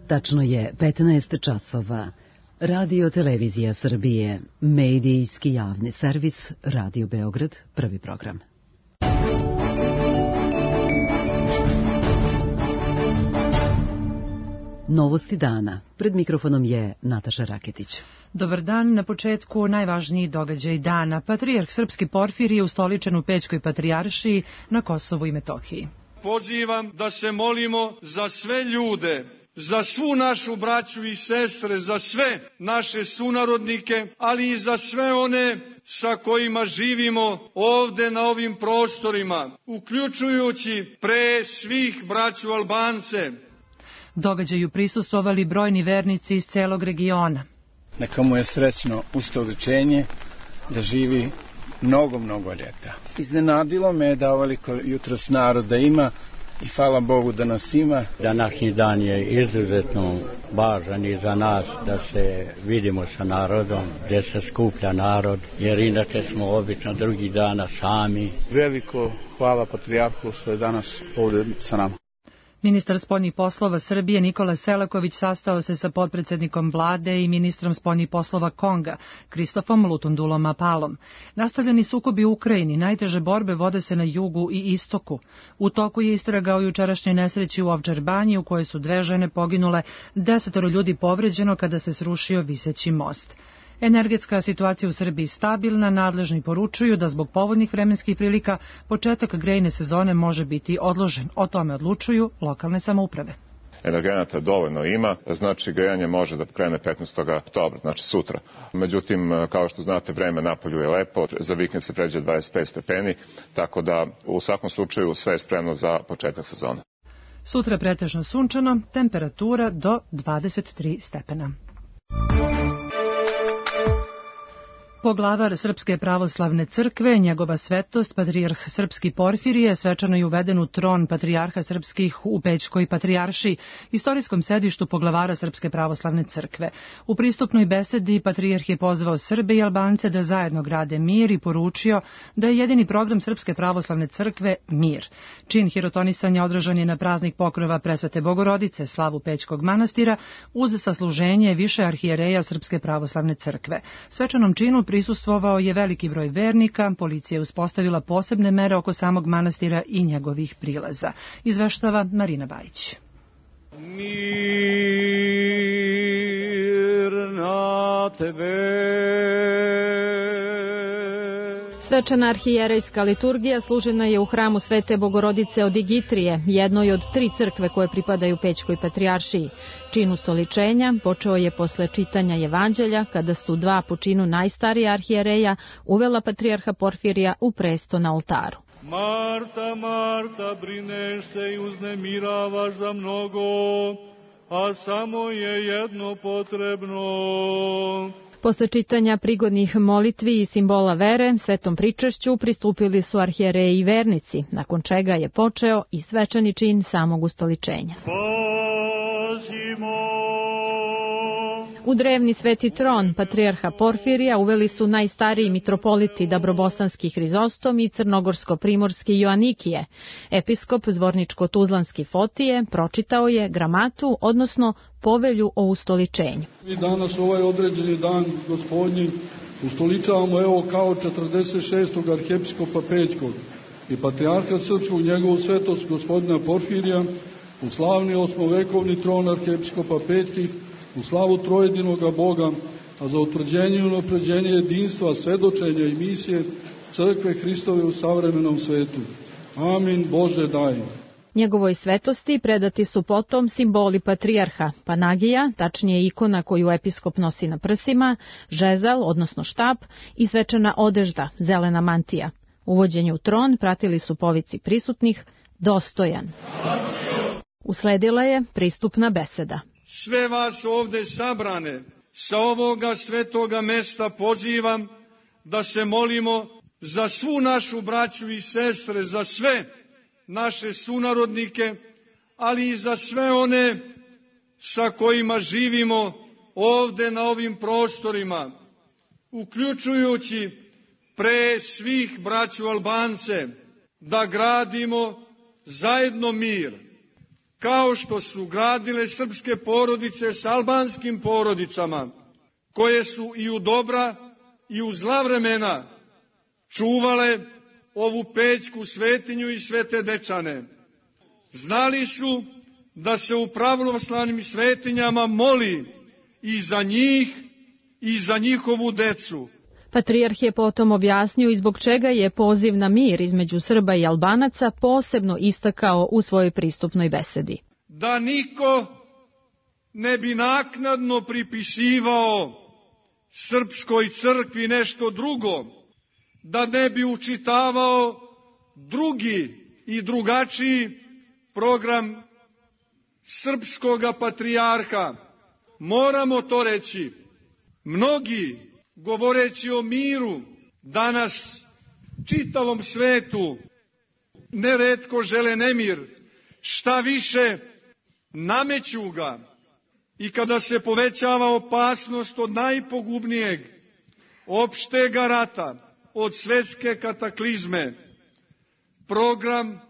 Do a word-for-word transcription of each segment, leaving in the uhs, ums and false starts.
Tačno je petnaest časova. Radio Televizija Srbije, medijski javni servis, Radio Beograd, prvi program. Novosti dana. Pred mikrofonom je Nataša Raketić. Dobar dan. Na početku najvažniji događaj dana. Patrijarh Srpski Porfirije ustoličen u Pećkoj patrijaršiji na Kosovu i Metohiji. Pozivam da se molimo za sve ljude, za svu našu braću i sestre, za sve naše sunarodnike, ali i za sve one sa kojima živimo ovde na ovim prostorima, uključujući pre svih braću Albance. Događaju prisustvovali brojni vernici iz celog regiona. Neka mu je srećno ustoličenje, da živi mnogo, mnogo ljeta. Iznenadilo me da ovoliko jutros naroda ima i hvala Bogu da nas ima. Današnji dan je izuzetno važan i za nas da se vidimo sa narodom, gdje se skuplja narod, jer inače smo obično drugih dana sami. Veliko hvala Patrijarhu što je danas ovdje sa nama. Ministar spoljnih poslova Srbije Nikola Selaković sastao se sa potpredsednikom vlade i ministrom spoljnih poslova Konga, Kristofom Lutundulom Apalom. Nastavljeni sukobi u Ukrajini, najteže borbe vode se na jugu i istoku. U toku je istraga o jučerašnjoj nesreći u Ovčar banji u kojoj su dve žene poginule, desetoro ljudi povređeno kada se srušio viseći most. Energetska situacija u Srbiji stabilna, nadležni poručuju da zbog povoljnih vremenskih prilika početak grejne sezone može biti odložen. O tome odlučuju lokalne samouprave. Energenata dovoljno ima, znači grejanje može da krene petnaestog oktobra, znači sutra. Međutim, kao što znate, vreme napolju je lepo, za vikend se pređe dvadeset pet stepeni, tako da u svakom slučaju sve je spremno za početak sezone. Sutra pretežno sunčano, temperatura do dvadeset tri stepena. Poglavar Srpske pravoslavne crkve, njegova svetost, patrijarh Srpski Porfirije, svečano je uveden u tron patrijarha srpskih u Pećkoj patrijaršiji, istorijskom sedištu poglavara Srpske pravoslavne crkve. U pristupnoj besedi patrijarh je pozvao Srbe i Albance da zajedno grade mir i poručio da je jedini program Srpske pravoslavne crkve mir. Čin hirotonisanja održan je na praznik pokrova Presvete Bogorodice, slavu Pećkog manastira, uz sasluženje više arhijereja Srpske pravoslavne crkve. Svečanom činu prisustvovao je veliki broj vernika, policija je uspostavila posebne mere oko samog manastira i njegovih prilaza. Izveštava Marina Bajić. Mir na tebe. Svečana arhijerejska liturgija služena je u hramu Svete Bogorodice od Igitrije, jednoj od tri crkve koje pripadaju Pećkoj patrijaršiji. Čin ustoličenja počeo je posle čitanja evanđelja, kada su dva po činu najstarija arhijereja uvela patrijarha Porfirija u presto na oltaru. Marta, Marta, brineš se i uznemiravaš za mnogo, a samo je jedno potrebno. Posle čitanja prigodnih molitvi i simbola vere, svetom pričašću pristupili su arhijereji i vernici, nakon čega je počeo i svečani čin samog ustoličenja. Pazimo! U drevni sveti tron patrijarha Porfirija uveli su najstariji mitropoliti Dabrobosanski Hrizostom i Crnogorsko-primorski Joanikije. Episkop Zvorničko-Tuzlanski Fotije pročitao je gramatu, odnosno povelju o ustoličenju. I danas ovaj određeni dan gospodnji ustoličavamo evo kao četrdeset šestog arhiepiskopa Pećkog i patrijarha srpskog njegovu svetost gospodina Porfirija u slavni osmovekovni tron arhiepiskopa Pećkih, u slavu trojedinoga Boga, a za utvrđenje i unapređenje jedinstva, svedočenja i misije crkve Hristove u savremenom svetu. Amin, Bože daj. Njegovoj svetosti predati su potom simboli patrijarha, panagija, tačnije ikona koju episkop nosi na prsima, žezal, odnosno štap, i svečana odežda, zelena mantija. Uvođenje u tron pratili su povici prisutnih, dostojan. Usledila je pristupna beseda. Sve vas ovde sabrane sa ovoga svetoga mesta pozivam da se molimo za svu našu braću i sestre, za sve naše sunarodnike, ali i za sve one sa kojima živimo ovde na ovim prostorima, uključujući pre svih braću Albance, da gradimo zajedno mir. kao što su gradile srpske porodice s albanskim porodicama, koje su i u dobra i u zla vremena čuvale ovu Pećku svetinju i Svete Dečane. Znali su da se u pravoslavnim svetinjama moli i za njih i za njihovu decu. Patrijarh je potom objasnio i zbog čega je poziv na mir između Srba i Albanaca posebno istakao u svojoj pristupnoj besedi. Da niko ne bi naknadno pripisivao srpskoj crkvi nešto drugo, da ne bi učitavao drugi i drugačiji program srpskoga patrijarha. Moramo to reći. Mnogi, govoreći o miru, danas čitavom svetu neretko žele nemir, šta više nameću ga, i kada se povećava opasnost od najpogubnijeg opštega rata, od svetske kataklizme, program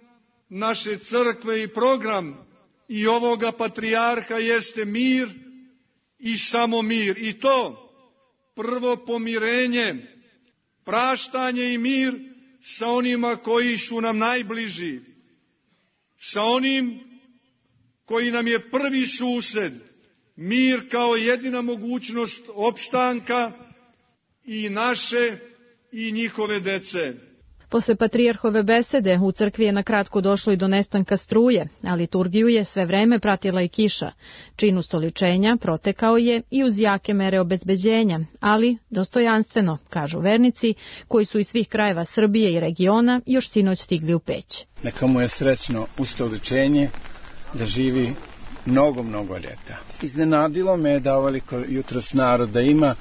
naše crkve i program i ovoga patrijarha jeste mir i samo mir. I to prvo pomirenje, praštanje i mir sa onima koji su nam najbliži, sa onim koji nam je prvi sused, mir kao jedina mogućnost opstanka i naše i njihove dece. Posle patrijarhove besede u crkvi je na kratko došlo i do nestanka struje, a liturgiju je sve vreme pratila i kiša. Čin ustoličenja protekao je i uz jake mere obezbeđenja, ali dostojanstveno, kažu vernici, koji su iz svih krajeva Srbije i regiona još sinoć stigli u Peć. Neka mu je srećno ustoličenje, da živi mnogo, mnogo ljeta. Iznenadilo me da ovoliko jutros naroda ima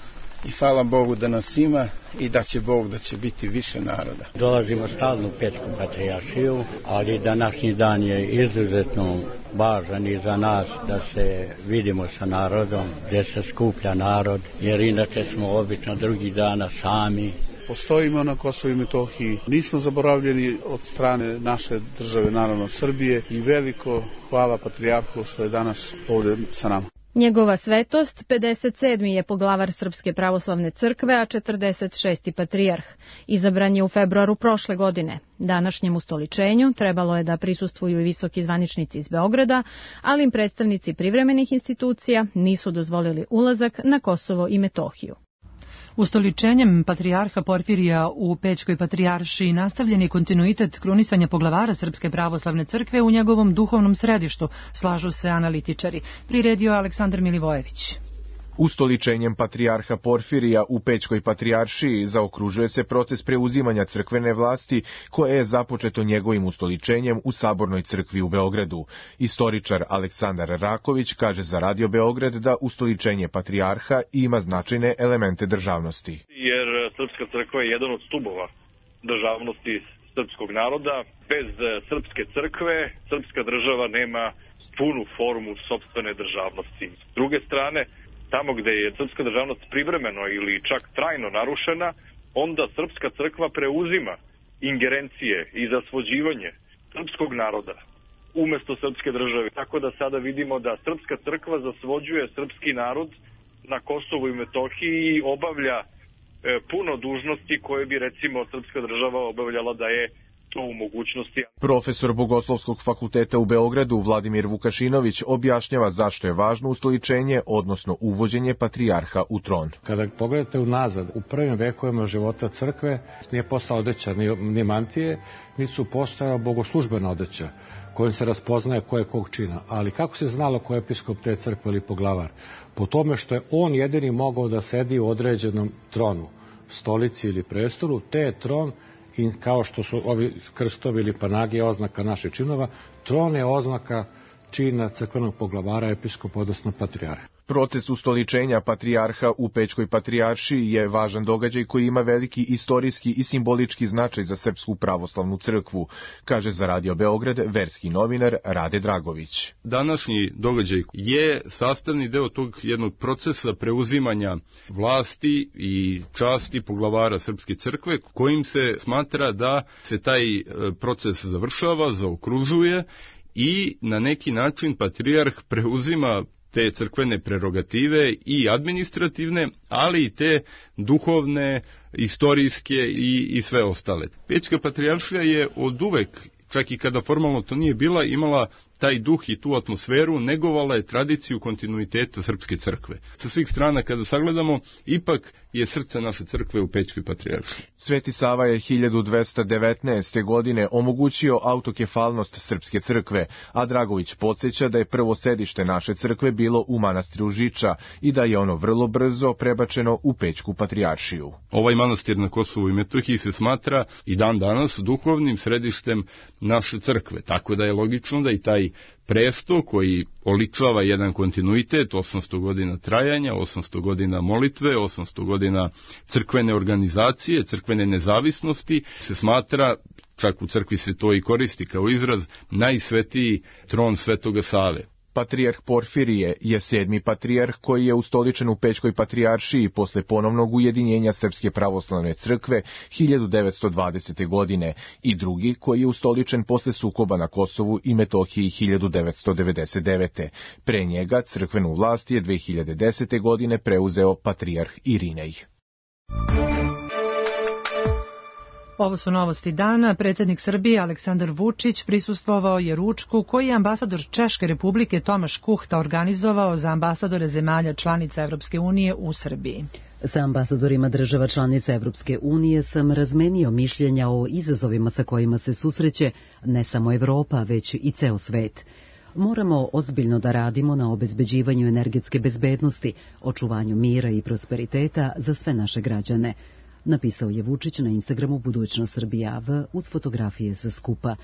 i hvala Bogu da nas ima i da će Bog da će biti više naroda. Dolazimo stalno u Pećku patrijaršiju, ali današnji dan je izuzetno važan i za nas da se vidimo sa narodom, gdje se skuplja narod, jer inače smo obično drugih dana sami. Postojimo na Kosovu i Metohiji, nismo zaboravljeni od strane naše države, naravno Srbije, i veliko hvala patrijarhu što je danas ovdje sa nama. Njegova svetost pedeset sedmi je poglavar Srpske pravoslavne crkve, a četrdeset šesti patrijarh. Izabran je u februaru prošle godine. Današnjem ustoličenju trebalo je da prisustvuju i visoki zvaničnici iz Beograda, ali im predstavnici privremenih institucija nisu dozvolili ulazak na Kosovo i Metohiju. Ustoličenjem patrijarha Porfirija u Pećkoj patrijaršiji nastavljen je kontinuitet krunisanja poglavara Srpske pravoslavne crkve u njegovom duhovnom središtu, slažu se analitičari. Priredio Aleksandar Milivojević. Ustoličenjem patrijarha Porfirija u Pećkoj patrijaršiji zaokružuje se proces preuzimanja crkvene vlasti koje je započeto njegovim ustoličenjem u Sabornoj crkvi u Beogradu. Istoričar Aleksandar Raković kaže za Radio Beograd da ustoličenje patrijarha ima značajne elemente državnosti. Jer Srpska crkva je jedan od stubova državnosti srpskog naroda. Bez Srpske crkve srpska država nema punu formu sopstvene državnosti. S druge strane, tamo gde je srpska državnost privremeno ili čak trajno narušena, onda srpska crkva preuzima ingerencije i zasvođivanje srpskog naroda umesto srpske države. Tako da sada vidimo da srpska crkva zasvođuje srpski narod na Kosovu i Metohiji i obavlja e, puno dužnosti koje bi recimo srpska država obavljala da je to u mogućnosti. Profesor Bogoslovskog fakulteta u Beogradu Vladimir Vukašinović objašnjava zašto je važno ustoličenje, odnosno uvođenje patrijarha u tron. Kada pogledate unazad, u prvim vekovima života crkve nije postala odeća ni, ni mantije, niti su postojala bogoslužbena odeća kojim se raspoznaje ko je kog čina. Ali kako se znalo ko je episkop te crkve ili poglavar? Po tome što je on jedini mogao da sedi u određenom tronu, stolici ili prestolu, te je tron, i kao što su ovi krstovi ili panagije oznaka naših činova, tron je oznaka čina crkvenog poglavara, episkopa, odnosno patrijarha. Proces ustoličenja patrijarha u Pećkoj patrijaršiji je važan događaj koji ima veliki istorijski i simbolički značaj za Srpsku pravoslavnu crkvu, kaže za Radio Beograd verski novinar Rade Dragović. Današnji događaj je sastavni deo tog jednog procesa preuzimanja vlasti i časti poglavara Srpske crkve, kojim se smatra da se taj proces završava, zaokružuje i na neki način patrijarh preuzima te crkvene prerogative i administrativne, ali i te duhovne, istorijske i, i sve ostale. Pećka patrijaršija je od uvek, čak i kada formalno to nije bila, imala taj duh i tu atmosferu, negovala je tradiciju kontinuiteta Srpske crkve. Sa svih strana kada sagledamo, ipak je srce naše crkve u Pećkoj patrijaršiji. Sveti Sava je hiljadu dvesta devetnaeste. godine omogućio autokefalnost Srpske crkve, a Dragović podsjeća da je prvo sedište naše crkve bilo u manastiru Žiča i da je ono vrlo brzo prebačeno u Pećku patrijaršiju. Ovaj manastir na Kosovu i Metohiji se smatra i dan danas duhovnim središtem naše crkve, tako da je logično da i taj presto koji oličava jedan kontinuitet, osamsto godina trajanja, osamsto godina molitve, osamsto godina crkvene organizacije, crkvene nezavisnosti, se smatra, čak u crkvi se to i koristi kao izraz, najsvetiji tron Svetoga Save. Patrijarh Porfirije je sedmi patrijarh koji je ustoličen u Pećkoj patrijaršiji posle ponovnog ujedinjenja Srpske pravoslavne crkve hiljadu devetsto dvadesete. godine i drugi koji je ustoličen posle sukoba na Kosovu i Metohiji hiljadu devetsto devedeset devete. Pre njega crkvenu vlast je dve hiljade desete. godine preuzeo patrijarh Irinej. Ovo su novosti dana. Predsjednik Srbije Aleksandar Vučić prisustvovao je ručku koji je ambasador Češke republike Tomaš Kuhta organizovao za ambasadore zemalja članica Evropske unije u Srbiji. Sa ambasadorima država članica Evropske unije sam razmenio mišljenja o izazovima sa kojima se susreće ne samo Evropa, već i ceo svet. Moramo ozbiljno da radimo na obezbeđivanju energetske bezbednosti, očuvanju mira i prosperiteta za sve naše građane, napisao je Vučić na Instagramu Budućnost Srbija V uz fotografije sa skupa.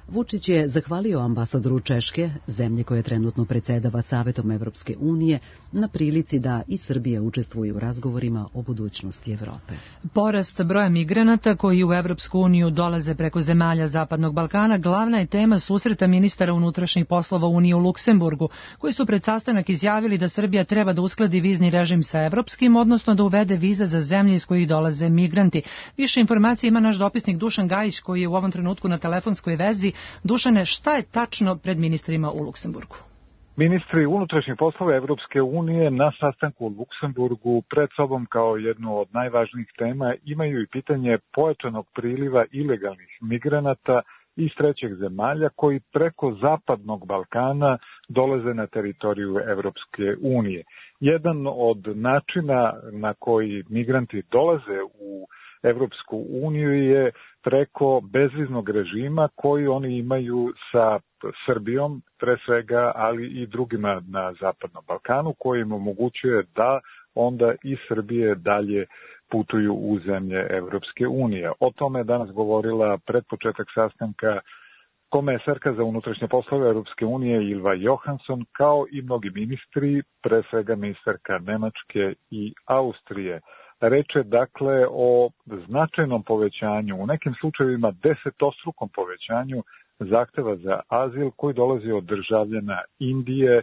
Vučić je zahvalio ambasadoru Češke, zemlje koje trenutno predsedava Savetom Evropske unije, na prilici da i Srbija učestvuje u razgovorima o budućnosti Evrope. Porast broja migranata koji u Evropsku uniju dolaze preko zemalja Zapadnog Balkana glavna je tema susreta ministara unutrašnjih poslova Unije u Luksemburgu, koji su pred sastanak izjavili da Srbija treba da uskladi vizni režim sa evropskim, odnosno da uvede viza za zemlje iz kojih dolaze migranti. Više informacije ima naš dopisnik Dušan Gajić, koji je u ovom trenutku na telefonskoj vezi. Dušane, šta je tačno pred ministrima u Luksemburgu? Ministri unutrašnjih poslova Evropske unije na sastanku u Luksemburgu pred sobom kao jednu od najvažnijih tema imaju i pitanje pojačanog priliva ilegalnih migranata iz trećih zemalja koji preko Zapadnog Balkana dolaze na teritoriju Evropske unije. Jedan od načina na koji migranti dolaze u Evropsku uniju je preko bezviznog režima koji oni imaju sa Srbijom, pre svega, ali i drugima na Zapadnom Balkanu, koji im omogućuje da onda iz Srbije dalje putuju u zemlje Evropske unije. O tome je danas govorila pred početak sastanka komesarka za unutrašnje poslove Evropske unije Ylva Johansson, kao i mnogi ministri, pre svega ministarka Nemačke i Austrije. Reč je dakle o značajnom povećanju, u nekim slučajevima desetostrukom povećanju zahteva za azil koji dolazi od državljana Indije,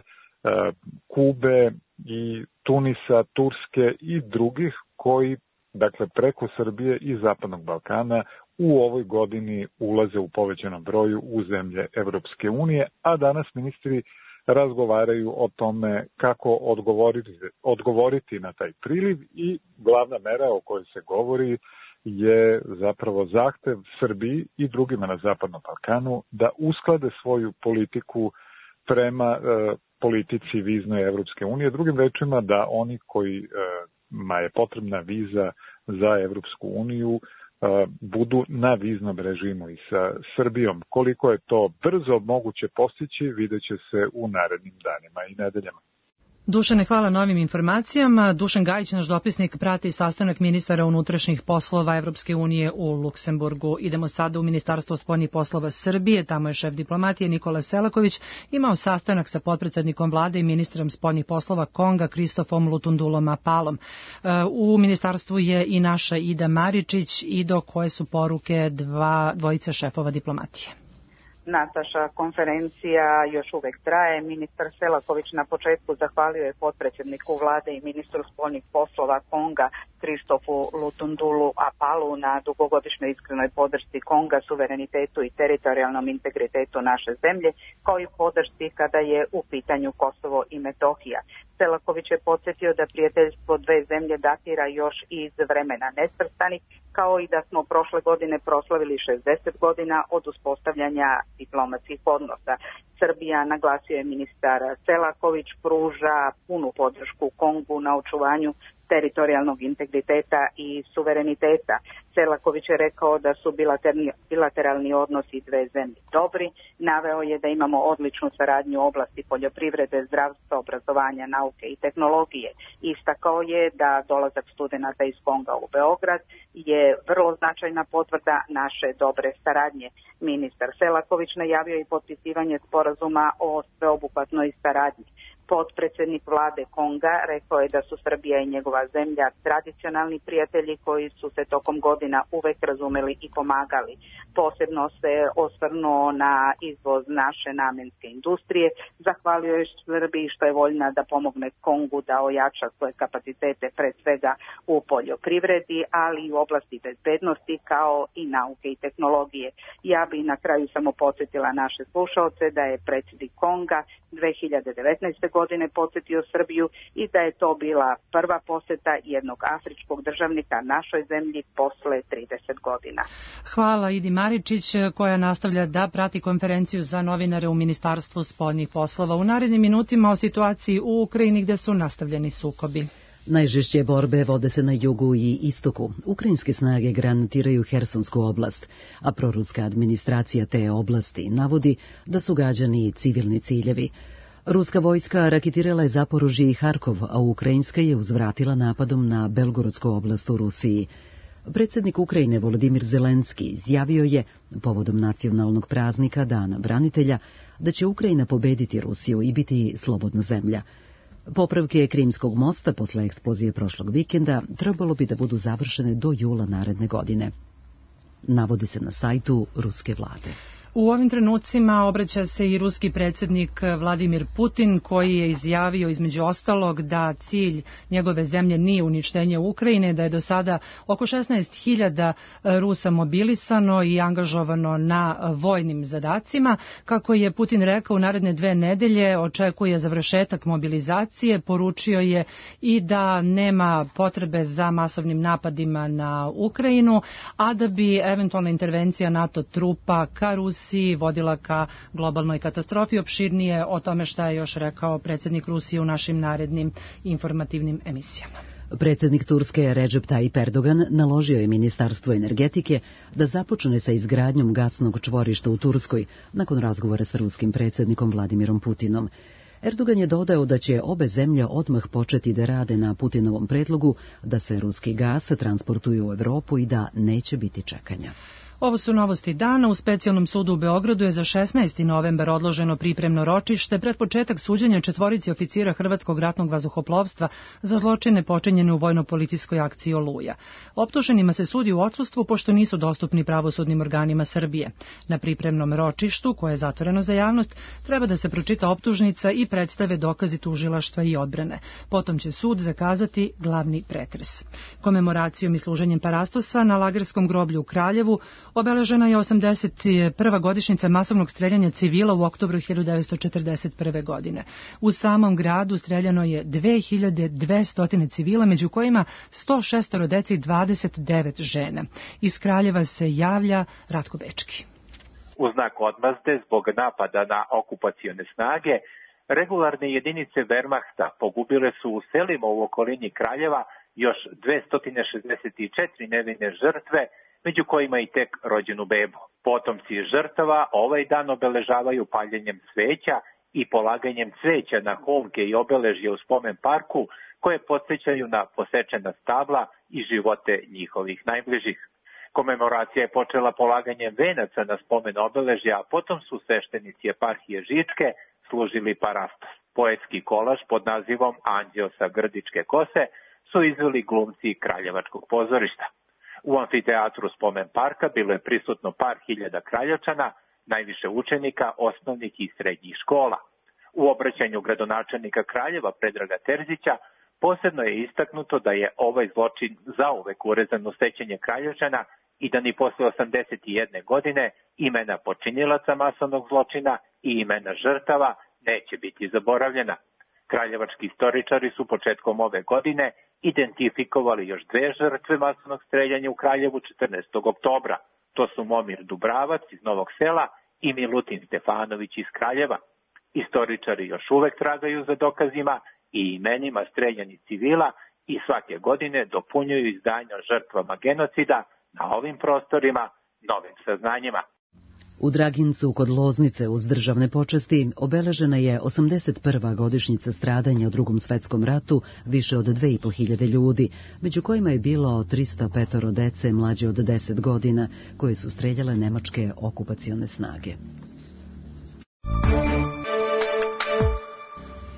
Kube i Tunisa, Turske i drugih koji, dakle, preko Srbije i Zapadnog Balkana u ovoj godini ulaze u povećanom broju u zemlje Evropske unije, a danas ministri razgovaraju o tome kako odgovoriti, odgovoriti na taj priliv i glavna mera o kojoj se govori je zapravo zahtev Srbiji i drugima na Zapadnom Balkanu da usklade svoju politiku prema e, politici viznoj Evropske unije. Drugim rečima da oni kojima je potrebna viza za Evropsku uniju budu na viznom režimu i sa Srbijom. Koliko je to brzo moguće postići, vidjet će se u narednim danima i nedeljama. Dušane, hvala na ovim informacijama. Dušan Gajić, naš dopisnik, prati sastanak ministara unutrašnjih poslova Evropske unije u Luksemburgu. Idemo sada u Ministarstvo spoljnih poslova Srbije. Tamo je šef diplomatije Nikola Selaković imao sastanak sa potpredsednikom vlade i ministrom spoljnih poslova Konga Kristofom Lutundulom Apalom. U ministarstvu je i naša Ida Maričić. Ido, koje su poruke dva, dvojice šefova diplomatije? Nataša, konferencija još uvek traje. Ministar Selaković na početku zahvalio je potpredsjedniku vlade i ministru spoljnih poslova Konga Kristofu Lutundulu Apalu na dugogodišnjoj iskrenoj podršci Konga, suverenitetu i teritorijalnom integritetu naše zemlje, kao i podršci kada je u pitanju Kosovo i Metohija. Selaković je podsjetio da prijateljstvo dve zemlje datira još iz vremena nesvrstanih, kao i da smo prošle godine proslavili šezdeset godina od uspostavljanja diplomatskih odnosa. Srbija, naglasio je ministar Selaković, pruža punu podršku Kongu na očuvanju teritorijalnog integriteta i suvereniteta. Selaković je rekao da su bilateralni, bilateralni odnosi dve zemlje dobri. Naveo je da imamo odličnu saradnju u oblasti poljoprivrede, zdravstva, obrazovanja, nauke i tehnologije. Istakao je da dolazak studenata iz Konga u Beograd je vrlo značajna potvrda naše dobre saradnje. Ministar Selaković najavio i potpisivanje sporazuma o sveobuhvatnoj saradnji. Potpredsjednik vlade Konga rekao je da su Srbija i njegova zemlja tradicionalni prijatelji koji su se tokom godina uvek razumeli i pomagali. Posebno se osvrnuo na izvoz naše namenske industrije, zahvalio je Srbiji što je voljna da pomogne Kongu da ojača svoje kapacitete pre svega u poljoprivredi, ali i u oblasti bezbednosti kao i nauke i tehnologije. Ja bi na kraju samo podsjetila naše slušaoce da je predsjednik Konga dve hiljade devetnaeste. godine posjetio Srbiju i da je to bila prva posjeta jednog afričkog državnika našoj zemlji posle trideset godina. Hvala Idi Maričić koja nastavlja da prati konferenciju za novinare u Ministarstvu spoljnih poslova. U narednim minutima o situaciji u Ukrajini gde su nastavljeni sukobi. Najžešće borbe vode se na jugu i istoku. Ukrajinske snage granatiraju Hersonsku oblast, a proruska administracija te oblasti navodi da su gađani civilni ciljevi. Ruska vojska raketirala je Zaporožje i Harkov, a ukrajinska je uzvratila napadom na Belgorodsku oblast u Rusiji. Predsjednik Ukrajine Volodimir Zelenski izjavio je, povodom nacionalnog praznika Dana branitelja, da će Ukrajina pobediti Rusiju i biti slobodna zemlja. Popravke Krimskog mosta posle eksplozije prošlog vikenda trebalo bi da budu završene do jula naredne godine. Navodi se na sajtu ruske vlade. U ovim trenucima obraća se i ruski predsjednik Vladimir Putin, koji je izjavio između ostalog da cilj njegove zemlje nije uništenje Ukrajine, da je do sada oko šesnaest hiljada Rusa mobilisano i angažovano na vojnim zadacima. Kako je Putin rekao, u naredne dve nedelje očekuje završetak mobilizacije, poručio je i da nema potrebe za masovnim napadima na Ukrajinu, a da bi eventualna intervencija NATO trupa ka Rusiji vodila ka globalnoj katastrofi. Opširnije o tome šta je još rekao predsjednik Rusije u našim narednim informativnim emisijama. Predsjednik Turske Recep Tayyip Erdogan naložio je Ministarstvu energetike da započne sa izgradnjom gasnog čvorišta u Turskoj nakon razgovora sa ruskim predsjednikom Vladimirom Putinom. Erdogan je dodao da će obe zemlje odmah početi da rade na Putinovom predlogu da se ruski gas transportuje u Evropu i da neće biti čekanja. Ovo su novosti dana. U specijalnom sudu u Beogradu je za šesnaesti novembar odloženo pripremno ročište pred početak suđenja četvorici oficira Hrvatskog ratnog vazduhoplovstva za zločine počinjene u vojno-policijskoj akciji Oluja. Optuženima se sudi u odsustvu pošto nisu dostupni pravosudnim organima Srbije. Na pripremnom ročištu, koje je zatvoreno za javnost, treba da se pročita optužnica i predstave dokazi tužilaštva i odbrane. Potom će sud zakazati glavni pretres. Komemoracijom i služenjem parastosa na Lagerskom groblju u Kraljevu obeležena je osamdeset prva godišnjica masovnog streljanja civila u oktobru hiljadu devetsto četrdeset prve. godine. U samom gradu streljano je dve hiljade dvesta civila, među kojima sto šest dece i dvadeset devet žena. Iz Kraljeva se javlja Ratko Bečki. U znak odmazde zbog napada na okupacione snage, regularne jedinice Wehrmachta pogubile su u selima u okolini Kraljeva još dvesta šezdeset četiri nevine žrtve, među kojima i tek rođenu bebu. Potomci žrtava ovaj dan obeležavaju paljenjem sveća i polaganjem cveća na holke i obeležje u spomen parku koje podsjećaju na posečena stabla i živote njihovih najbližih. Komemoracija je počela polaganjem venaca na spomen obeležja, a potom su sveštenici eparhije Žičke služili parastos. Poetski kolaž pod nazivom Anđeo sa grdičke kose su izveli glumci Kraljevačkog pozorišta. U amfiteatru spomen parka bilo je prisutno par hiljada Kraljevčana, najviše učenika osnovnih i srednjih škola. U obraćanju gradonačelnika Kraljeva Predraga Terzića posebno je istaknuto da je ovaj zločin zauvek urezan u sećanje Kraljevčana i da ni posle osamdeset jedne godine imena počinilaca masovnog zločina i imena žrtava neće biti zaboravljena. Kraljevački istoričari su početkom ove godine identifikovali još dve žrtve masovnog streljanja u Kraljevu četrnaestog oktobra. To su Momir Dubravac iz Novog Sela i Milutin Stefanović iz Kraljeva. Istoričari još uvek tragaju za dokazima i imenima streljanih civila i svake godine dopunjuju izdanja o žrtvama genocida na ovim prostorima novim saznanjima. U Dragincu kod Loznice uz državne počasti obeležena je osamdeset prva godišnjica stradanja u Drugom svetskom ratu više od dve i po hiljade ljudi, među kojima je bilo tristo pet dece mlađe od deset godina, koje su streljale nemačke okupacione snage.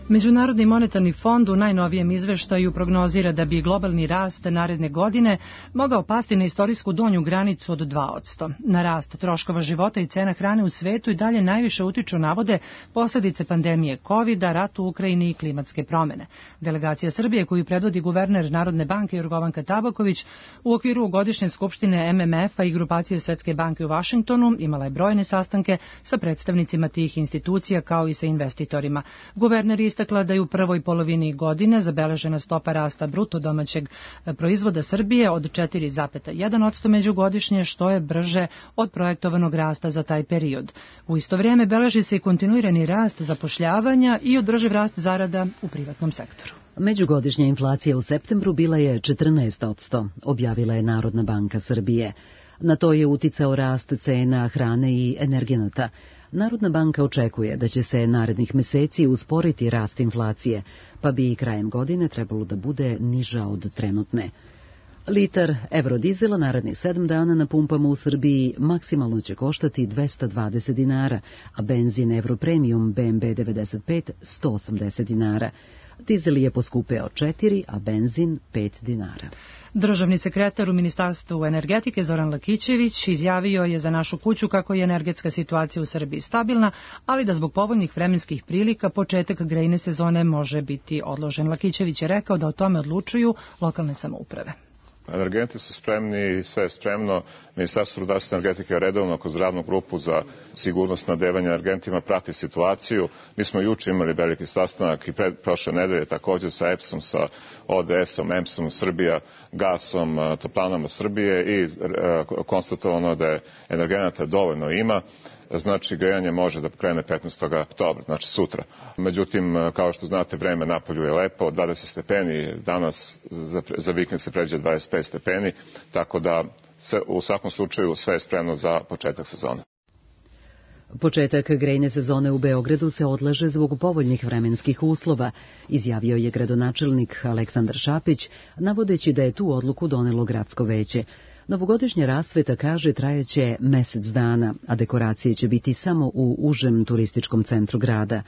Međunarodni monetarni fond u najnovijem izveštaju prognozira da bi globalni rast naredne godine mogao pasti na istorijsku donju granicu od dva posto. Na rast troškova života i cena hrane u svetu i dalje najviše utiču, navode, posljedice pandemije kovida, rat u Ukrajini i klimatske promene. Delegacija Srbije, koju predvodi guverner Narodne banke Jorgovanka Tabaković, u okviru godišnje skupštine M M F-a i grupacije Svetske banke u Vašingtonu imala je brojne sastanke sa predstavnicima tih institucija kao i sa investitorima. Guverner istakla da je u prvoj polovini godine zabeležena stopa rasta bruto domaćeg proizvoda Srbije od četiri zarez jedan posto međugodišnje, što je brže od projektovanog rasta za taj period. U isto vrijeme beleži se i kontinuirani rast zapošljavanja i održiv rast zarada u privatnom sektoru. Međugodišnja inflacija u septembru bila je četrnaest posto, objavila je Narodna banka Srbije. Na to je uticao rast cena hrane i energenata. Narodna banka očekuje da će se narednih meseci usporiti rast inflacije, pa bi i krajem godine trebalo da bude niža od trenutne. Litar evrodizela narednih sedam dana na pumpama u Srbiji maksimalno će koštati dvesta dvadeset dinara, a benzin Europremium B M B devedeset pet sto osamdeset dinara. Dizel je poskupeo četiri, a benzin pet dinara. Državni sekretar u Ministarstvu energetike Zoran Lakićević izjavio je za Našu kuću kako je energetska situacija u Srbiji stabilna, ali da zbog povoljnih vremenskih prilika početak grejne sezone može biti odložen. Lakićević je rekao da o tome odlučuju lokalne samouprave. Energenti su spremni i sve je spremno. Ministarstvo rudarstva i energetike redovno kroz radnu grupu za sigurnost snabdevanja energentima prati situaciju. Mi smo juče imali veliki sastanak i pred, prošle nedelje također sa E P S-om, sa O D S-om, E M S-om Srbija, Gasom, Toplanama Srbije i e, konstatovano da je energenata dovoljno ima. Znači, grejanje može da krene petnaestog oktobra, znači sutra. Međutim, kao što znate, vreme napolju je lepo, dvadeset stepeni, danas za, za vikend se pređe dvadeset pet stepeni, tako da se, u svakom slučaju sve je spremno za početak sezone. Početak grejne sezone u Beogradu se odlaže zbog povoljnih vremenskih uslova, izjavio je gradonačelnik Aleksandar Šapić, navodeći da je tu odluku donelo gradsko veće. Novogodišnja rasveta, kaže, trajeće mesec dana, a dekoracije će biti samo u užem turističkom centru grada.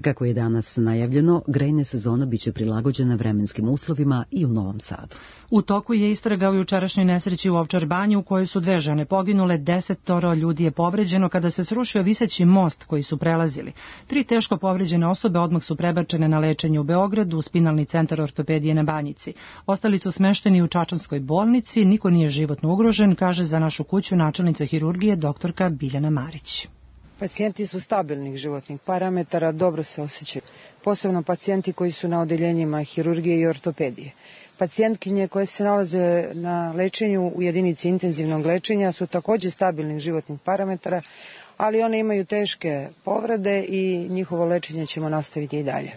Kako je danas najavljeno, grejna sezona biće prilagođena vremenskim uslovima i u Novom Sadu. U toku je istraga u jučerašnjoj nesreći u Ovčar banji u kojoj su dve žene poginule, desetoro ljudi je povređeno kada se srušio viseći most koji su prelazili. Tri teško povređene osobe odmah su prebačene na lečenje u Beogradu u spinalni centar ortopedije na Banjici. Ostali su smešteni u Čačanskoj bolnici, niko nije životno ugrožen, kaže za Našu kuću načelnica hirurgije doktorka Biljana Marić. Pacijenti su stabilnih životnih parametara, dobro se osjećaju, posebno pacijenti koji su na odeljenjima hirurgije i ortopedije. Pacijentkinje koje se nalaze na lečenju u jedinici intenzivnog lečenja su također stabilnih životnih parametara, ali one imaju teške povrede i njihovo lečenje ćemo nastaviti i dalje.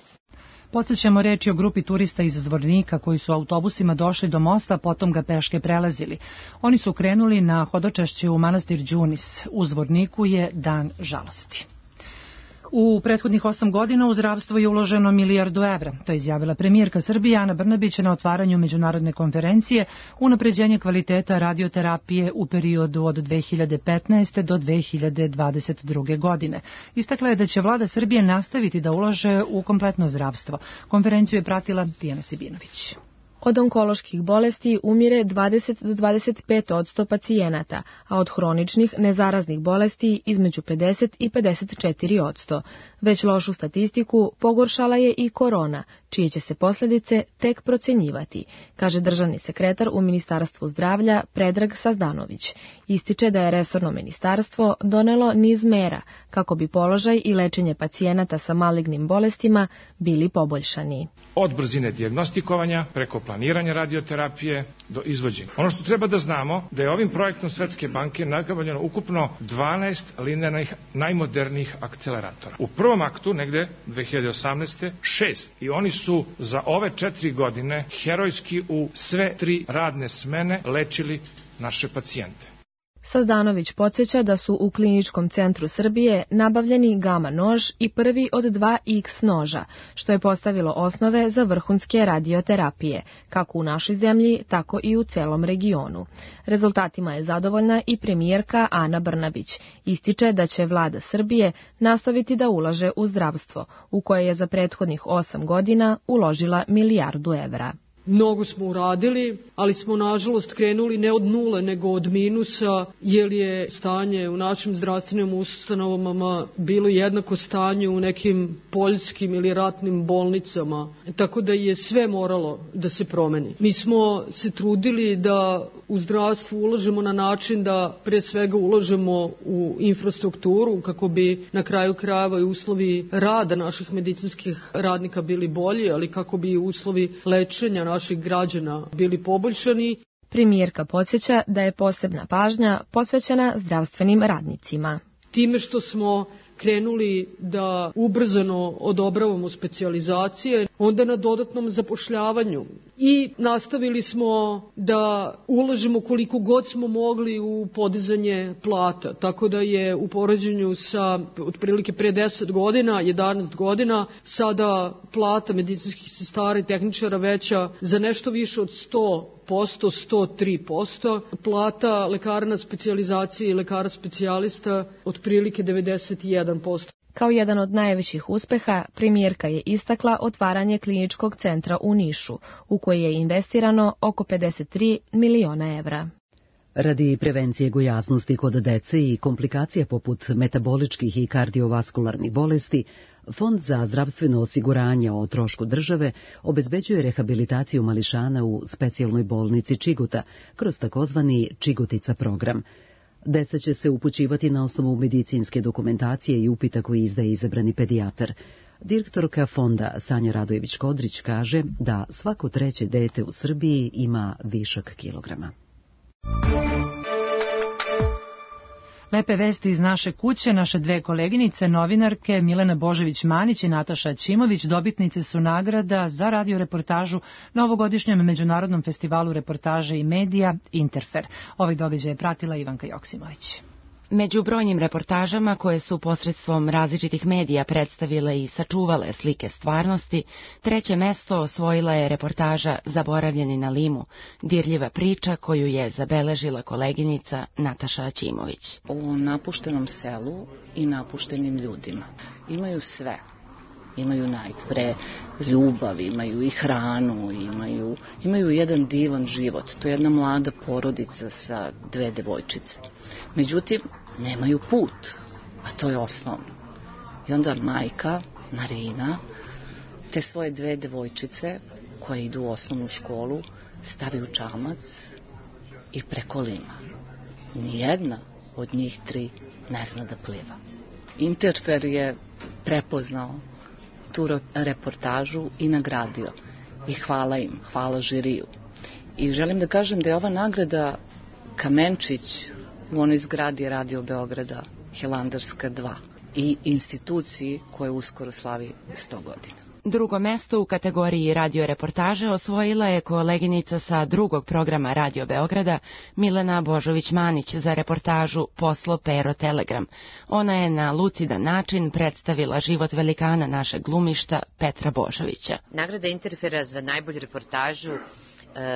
Podsjećamo, reči o grupi turista iz Zvornika koji su autobusima došli do mosta, potom ga peške prelazili. Oni su krenuli na hodočašće u manastir Đunis. U Zvorniku je dan žalosti. U prethodnih osam godina u zdravstvo je uloženo milijardu evra. To je izjavila premijerka Srbije Ana Brnabić na otvaranju međunarodne konferencije Unapređenje kvaliteta radioterapije u periodu od dve hiljade petnaeste. do dve hiljade dvadeset druge. godine. Istakla je da će vlada Srbije nastaviti da ulaže u kompletno zdravstvo. Konferenciju je pratila Tijana Sibinović. Od onkoloških bolesti umire dvadeset do dvadeset pet odsto pacijenata, a od hroničnih nezaraznih bolesti između pedeset i pedeset četiri odsto. Već lošu statistiku pogoršala je i korona, čije će se posljedice tek procenjivati, kaže državni sekretar u Ministarstvu zdravlja Predrag Sazdanović. Ističe da je resorno ministarstvo donelo niz mera kako bi položaj i lečenje pacijenata sa malignim bolestima bili poboljšani. Od brzine dijagnostikovanja preko planiranja radioterapije do izvođenja. Ono što treba da znamo da je ovim projektom Svetske banke nabavljeno ukupno dvanaest linearnih najmodernijih akceleratora. U prvom aktu, negde dve hiljade osamnaeste. šest. I oni su za ove četiri godine herojski u sve tri radne smene lečili naše pacijente. Sazdanović podsjeća da su u Kliničkom centru Srbije nabavljeni gama nož i prvi od dva iks noža, što je postavilo osnove za vrhunske radioterapije, kako u našoj zemlji, tako i u celom regionu. Rezultatima je zadovoljna i premijerka Ana Brnabić. Ističe da će vlada Srbije nastaviti da ulaže u zdravstvo, u koje je za prethodnih osam godina uložila milijardu evra. Mnogo smo uradili, ali smo nažalost krenuli ne od nule, nego od minusa, jer je stanje u našim zdravstvenim ustanovama bilo jednako stanju u nekim poljskim ili ratnim bolnicama, tako da je sve moralo da se promeni. Mi smo se trudili da u zdravstvu ulažemo na način da pre svega ulažemo u infrastrukturu, kako bi na kraju krajeva i uslovi rada naših medicinskih radnika bili bolji, ali kako bi uslovi lečenja naših građana bili poboljšani. Premijerka podsjeća da je posebna pažnja posvećena zdravstvenim radnicima. Time što smo krenuli da ubrzano odobravamo specijalizacije, onda na dodatnom zapošljavanju. I nastavili smo da ulažemo koliko god smo mogli u podizanje plata, tako da je u poređenju sa otprilike pre deset godina, jedanaest godina, sada plata medicinskih sestara i tehničara veća za nešto više od sto posto, sto tri posto, plata lekara na specijalizaciji i lekara specijalista otprilike devedeset jedan posto. Kao jedan od najvećih uspeha, premijerka je istakla otvaranje kliničkog centra u Nišu, u koji je investirano oko pedeset tri miliona evra. Radi prevencije gojaznosti kod dece i komplikacija poput metaboličkih i kardiovaskularnih bolesti, Fond za zdravstveno osiguranje o trošku države obezbeđuje rehabilitaciju mališana u specijalnoj bolnici Čiguta kroz takozvani Čigutica program. Deca će se upućivati na osnovu medicinske dokumentacije i upita koji izdaje izabrani pedijatar. Direktorka fonda Sanja Radojević-Kodrić kaže da svako treće dete u Srbiji ima višak kilograma. Lepe vesti iz naše kuće, naše dve koleginice, novinarke Milena Božović-Manić i Nataša Ćimović, dobitnice su nagrada za radioreportažu na ovogodišnjem Međunarodnom festivalu reportaže i medija Interfer. Ovaj događaj je pratila Ivanka Joksimović. Među brojnim reportažama koje su posredstvom različitih medija predstavile i sačuvale slike stvarnosti, treće mesto osvojila je reportaža Zaboravljeni na Limu, dirljiva priča koju je zabeležila koleginica Nataša Ćimović. O napuštenom selu i napuštenim ljudima. Imaju sve. Imaju najpre ljubav, imaju i hranu, imaju, imaju jedan divan život. To je jedna mlada porodica sa dve devojčice. Međutim, nemaju put, a to je osnovno. I onda majka, Marina, te svoje dve devojčice koje idu u osnovnu školu, stavi u čamac i preko Lima. Nijedna od njih tri ne zna da pliva. Interfer je prepoznao tu reportažu i nagradio. I hvala im, hvala žiriju. I želim da kažem da je ova nagrada kamenčić u onoj zgradi Radio Beograda, Hilandarska dva, i instituciji koja uskoro slavi sto godina. Drugo mesto u kategoriji radioreportaže osvojila je koleginica sa drugog programa Radio Beograda, Milena Božović-Manić, za reportažu Poslo Pero Telegram. Ona je na lucidan način predstavila život velikana našeg glumišta Petra Božovića. Nagrada Interfera za najbolju reportažu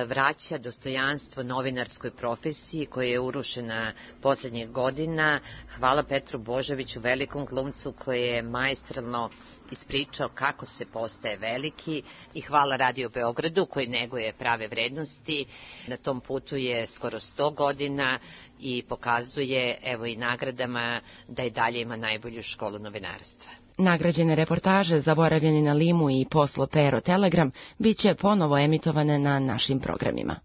vraća dostojanstvo novinarskoj profesiji koja je urušena poslednjih godina. Hvala Petru Božoviću, velikom glumcu koji je maestralno ispričao kako se postaje veliki, i hvala Radio Beogradu koji neguje prave vrednosti. Na tom putu je skoro sto godina i pokazuje, evo i nagradama, da i dalje ima najbolju školu novinarstva. Nagrađene reportaže Zaboravljeni na limu i Poslo Pero Telegram biće ponovo emitovane na našim programima.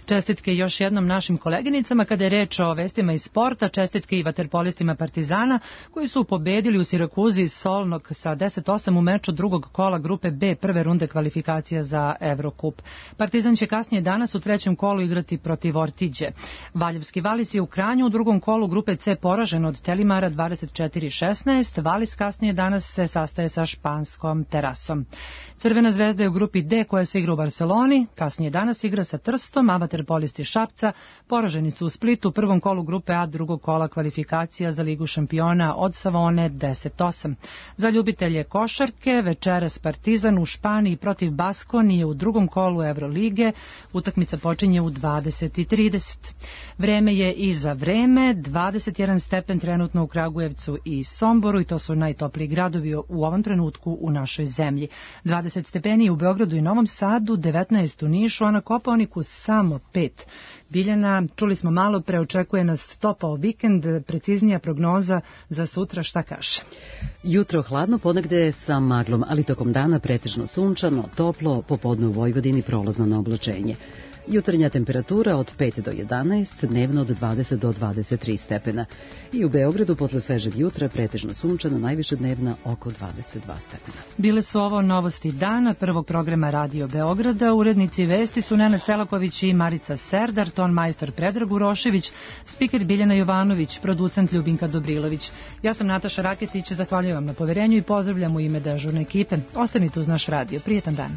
Čestitke još jednom našim koleginicama kada je reč o vestima iz sporta, čestitke i vaterpolistima Partizana koji su pobedili u Sirakuzi Solnog sa deset osam u meču drugog kola grupe B prve runde kvalifikacija za Evrokup. Partizan će kasnije danas u trećem kolu igrati protiv Ortiđe. Valjevski Valis je u Kranju u drugom kolu grupe C poražen od Telimara dvadeset četiri šesnaest. Valis kasnije danas se sastaje sa španskom Terasom. Crvena zvezda je u grupi D koja se igra u Barceloni, kasnije danas igra sa Trstom, a vaterpolisti Šapca poraženi su u Splitu u prvom kolu grupe A drugog kola kvalifikacija za Ligu šampiona od Savone deset osam. Za ljubitelje košarke večeras Partizan u Španiji protiv Baskonije u drugom kolu Evrolige. Utakmica počinje u dvadeset i trideset. Vreme je i za vreme, dvadeset jedan stepen trenutno u Kragujevcu i Somboru i to su najtopliji gradovi u ovom trenutku u našoj zemlji. dvadeset stepeni u Beogradu i Novom Sadu, devetnaest u Nišu, a na Kopaoniku samo pet. Biljana, čuli smo malo pre, očekuje nas topao vikend, preciznija prognoza za sutra, šta kaže? Jutro hladno, ponegde sa maglom, ali tokom dana pretežno sunčano, toplo, popodne u Vojvodini prolazno na oblačenje. Jutarnja temperatura od pet do jedanaest, dnevno od dvadeset do dvadeset tri stepena. I u Beogradu posle svežeg jutra pretežno sunčano, najviše dnevna oko dvadeset dva stepena. Bile su ovo novosti dana prvog programa Radio Beograda. Urednici vesti su Nenad Selaković i Marica Serdar, ton majstor Predrag Urošević, spiker Biljana Jovanović, producent Ljubinka Dobrilović. Ja sam Nataša Raketić, zahvaljujem vam na poverenju i pozdravljam u ime dežurne ekipe. Ostanite uz naš radio. Prijetan dan.